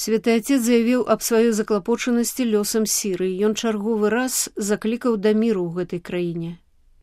Святы Отец заявіў аб сваёй заклапочанасці лёсам Сірыі. Ён чарговы раз заклікаў да міру ў гэтай краіне.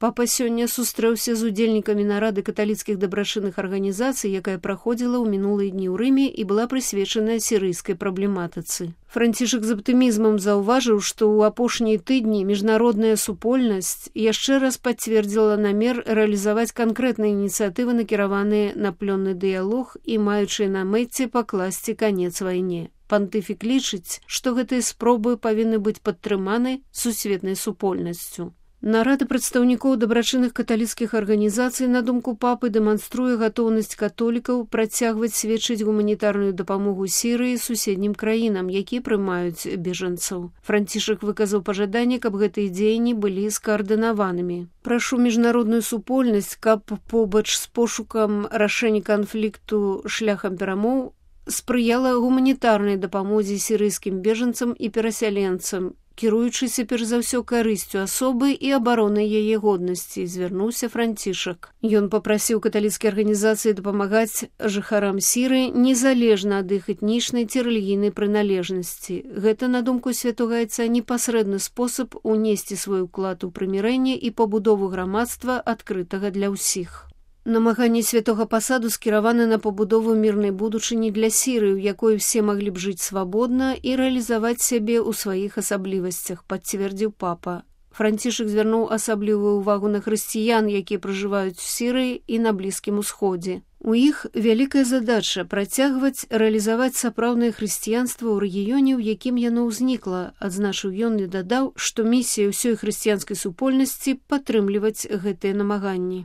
Папа сёння сустрэўся з удзельнікамі нарады каталіцкіх дабрачынных арганізацый, якая праходзіла ў мінулыя дні ў Рыме і была прысвечаная сірыйскай праблематыцы. Францішак з аптымізмам заўважыў, што ў апошнія тыдні міжнародная супольнасць яшчэ раз пацвердзіла намер рэалізаваць канкрэтныя ініцыятывы, накіраваныя на плённы дыялог і маючыя на мэце пакласці канец вайне. Пантыфік лічыць, што гэтыя спробы павінны быць падтрыманы сусветнай супольнасцю. Нарада прадстаўнікоў дабрачынных каталіцкіх арганізацый, на думку папы, дэманструе гатоўнасць католікаў працягваць сведчыць гуманітарную дапамогу Сірыі і суседнім краінам, якія прымаюць бежанцаў. Францішак выказаў пажаданне, каб гэтыя дзеянні былі скаардынаванымі. Прашу міжнародную супольнасць, каб побач з пошукам рашэння канфлікту шляхам перамоў спрыяла гуманітарнай дапамозе сірыйскім бежанцам і перасяленцам, кіруючыся перш за ўсё карысцю асобы і абаронай яе годнасці, звярнуўся Францішак. Ён папрасіў каталіцкія арганізацыі дапамагаць жыхарам Сірыі незалежна ад іх этнічнай ці рэлігійнай прыналежнасці. Гэта, на думку святога Айца, непасрэдны спосаб унесці свой уклад у прымірэнне і пабудову грамадства, адкрытага для ўсіх. Намаганні святога пасаду скіраваны на пабудову мірнай будучыні для Сірыі, у якой усе маглі б жыць свабодна і рэалізаваць сябе ў сваіх асаблівасцях, пацвердзіў папа. Францішак звярнуў асаблівую ўвагу на хрысціян, якія пражываюць у Сірыі і на Блізкім Усходзе. У іх вялікая задача працягваць рэалізаваць сапраўднае хрысціянства ў рэгіёне, у якім яно ўзнікла, адзначыў ён і дадаў, што місія ўсёй хрысціянскай супольнасці падтрымліваць гэтыя намаганні.